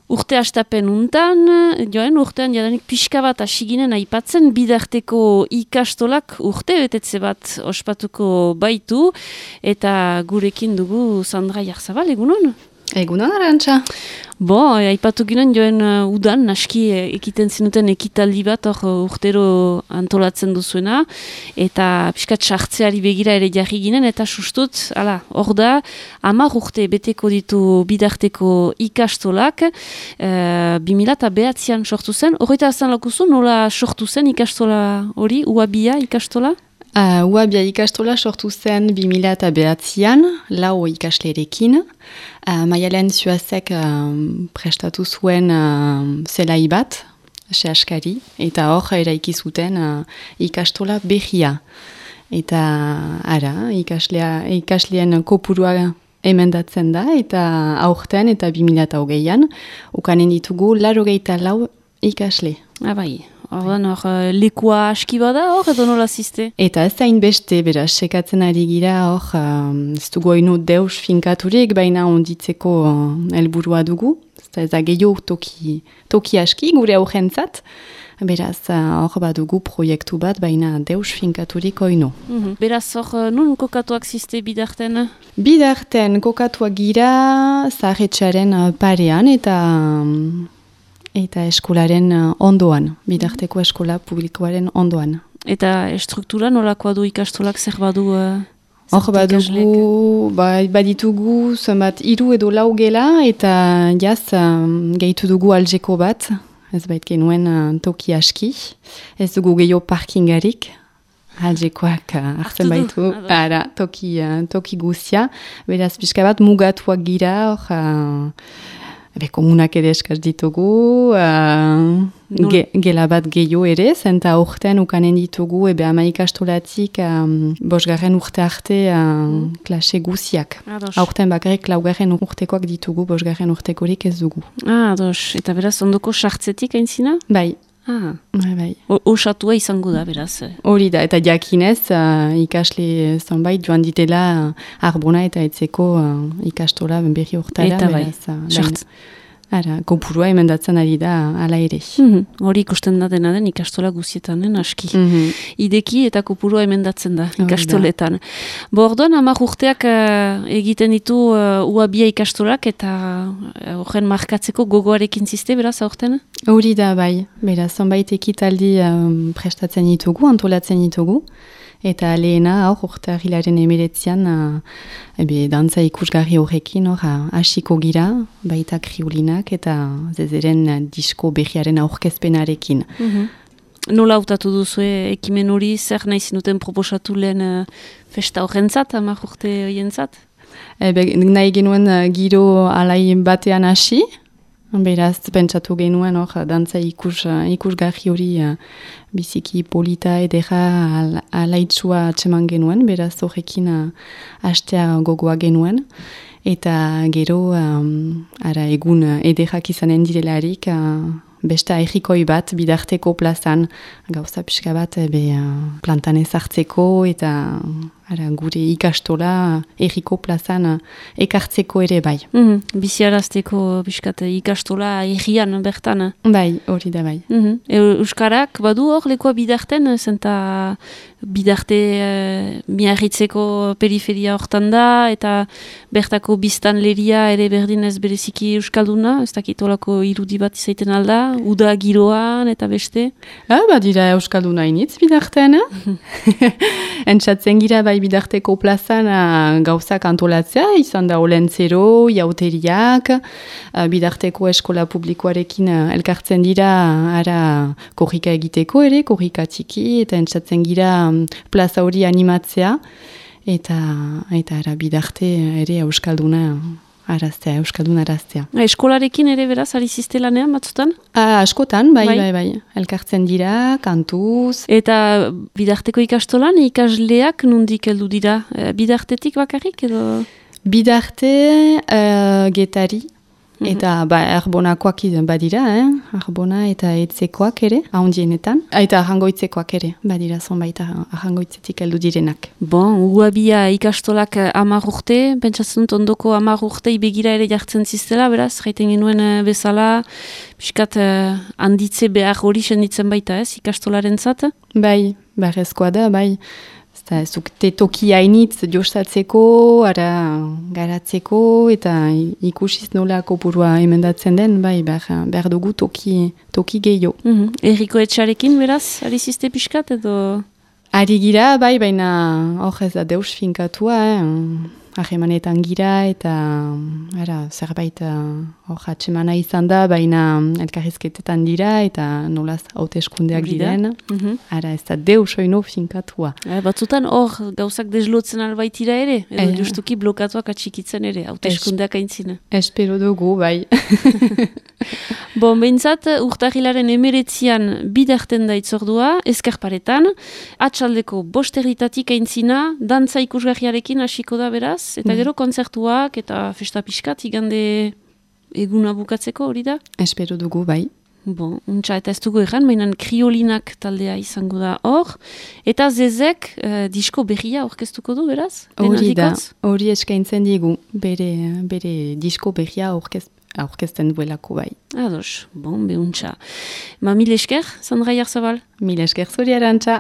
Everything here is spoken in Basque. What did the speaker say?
Urte hastapen untan, joen urtean jadanik pixka bat asiginen aipatzen bidarteko ikastolak urte betetze bat ospatuko baitu, eta gurekin dugu Sandra Jarzabal, egunon? Egunon, Arantxa. Aipatu ginen joen udan, naski ekiten zinuten ekitaldi bat urtero antolatzen duzuena, eta pixkat sartzeari begira ere jarri ginen, eta sustut, hor da, 10 urte beteko ditu bidarteko ikastolak, 2009an sortu zen. Horreta azan lakuzu, nola sortu zen ikastola hori, UABia ikastola? UABia ikastola sortu zen 2009an, 4 ikaslerekin. Maialen Zuazek prestatu zuen zelai bat, sehaskari, eta hor eraiki zuten ikastola behia. Eta ikasleen kopurua emendatzen da, eta aurten eta 2008an, ukanen ditugu 84 ikasle. Bai. Ordan lekua aski bada hor edo nola ziste? Eta ez zain beste, beraz, sekatzen ari gira hor, ez dugu oinu deus finkaturik, baina onditzeko helburua dugu. Ez da gehiago toki aski gure aurrentzat. Beraz, hor badugu proiektu bat, baina deus finkaturik oinu. Beraz, hor nun kokatuak ziste bidarten? Bidarten kokatuak gira zaharretxaren parean eta eskolaren ondoan, bidarteko eskola publikoaren ondoan. Eta estruktura nolakoa du ikastolak zer badu? Hor badugu, baditugu zenbat 3 edo 4 gela, eta jaz gehitu dugu aljeko bat, ez bait genuen toki aski, ez dugu gehiago parkingarik, aljekoak hartzen baitu, toki guzia, beraz pixka bat mugatuak gira, hor komunak ere eskaz ditugu, gela bat gehiago ere, zenta urtean ukanen ditugu, 10 ikastolatik 5. urte arte klase guziak. Urtean bakarrik 4. urtekoak ditugu, 5. urtekorik ez dugu. Eta beraz, ondoko sartzetik aintzina? Bai. Bai. Osatua izango da, beraz. Hori da, eta jakinez ikasle zonbait joan ditela Arbona eta etzeko ikastola berri urtara. Eta bai, kopurua emendatzen ari da ala ere. Hori ikusten da dena den ikastola guzietanen aski. Ideki eta kopurua emendatzen da ikastoletan. Orduan 10 urteak egiten ditu UABia ikastolak eta horren markatzeko gogoarekin ziste, beraz, aurten? Hori da, bai. Beraz, zonbait ekitaldi prestatzen ditugu, antolatzen ditugu. Eta lehena urte ahilaren 19an dantza ikusgarri horrekin hasiko gira, baita kriulinak eta zezeren disko berriaren aurkezpenarekin. Nola hautatu duzu ekimen hori, zer nahi zinuten proposatu lehen festa horrentzat, 10 urte horientzat? Nahi genuen giro alai batean hasi, beraz, pentsatu genuen dantza ikusgarri hori biziki polita edera alaitzua atseman genuen, beraz horrekin hastea gogoa genuen. Eta gero, egun ederrak izanen direlarik, besta errikoi bat bidarteko plazan, gauza pixka bat plantan ezartzeko eta gure ikastola erriko plazan ekartzeko ere bai. Biziarazteko pixkat ikastola errian bertan? Bai, hori da bai. Euskarak badu hor lekoa bidarten, zenta bidarte miarritzeko periferia hortan da, eta bertako biztanleria ere berdin ez bereziki euskalduna, ez dakit olako irudi bat izaiten alda, uda giroan eta beste? Badira euskalduna initz bidarten, entzatzen gira bai bidarteko plazan gauzak antolatzea, izan da olentzero, jauteriak, bidarteko eskola publikoarekin elkartzen dira korrika egiteko ere, korrika txiki, eta entzatzen gira plaza hori animatzea, eta bidarte ere euskalduna araztea. Eskolarekin ere beraz, ari ziste lanean batzutan? Askotan, bai. Elkartzen dira, kantuz. Eta bidarteko ikastolan ikasleak nondik heldu dira? Bidartetik bakarrik edo? Bidarte getari. Eta arbonakoak badira, arbona eta etzekoak ere, ahondienetan. Eta arrangoitzekoak ere, badira zonbait arrangoitzetik heldu direnak. Bon, uabia ikastolak 10 urte, pentsatzen dut ondoko 10 urte begira ere jartzen ziztela, beraz, jaiten genuen bezala, piskat handitze behar hori senditzen baita, ez, ikastolaren zat? Bai, beharrezkoa da, bai. Ez dukte toki hainitz jostatzeko, garatzeko, eta ikusiz nola kopurua emendatzen den, bai, behar dugu toki gehiago. Erriko etxarekin, beraz, ari zizte piskat, edo? Ari gira, bai, baina hor ez da deus finkatua, ahemanetan gira, eta zerbait hor atsemana izan da, baina elkarrizketetan dira, eta nolaz hauteskundeak diren. Ez da deus oino finkatua. Batzutan hor gauzak deslotzen albaitira ere, edo justuki blokatuak atxikitzen ere, hauteskundeak aintzina. Espero dugu, bai. Bon, behintzat, urtarrilaren 19an biderten da itzordua, Ezkerparetan, atxaldeko 5 aintzina, dantza ikusgarriarekin hasiko da beraz, eta gero kontzertuak eta festa pixkat, igande eguna bukatzeko hori da? Espero dugu, bai. Bon, untxa, eta ez dugu erran, mainan kriolinak taldea izango da hor, eta Zezek disko berria orkestuko du beraz? Hori da, hori eskaintzen digu, bere disko berria aurkezten duelako bai. Ados, bon, behuntza. Mil esker, Sandra Jarzabal? Mil esker zuri Arantxa.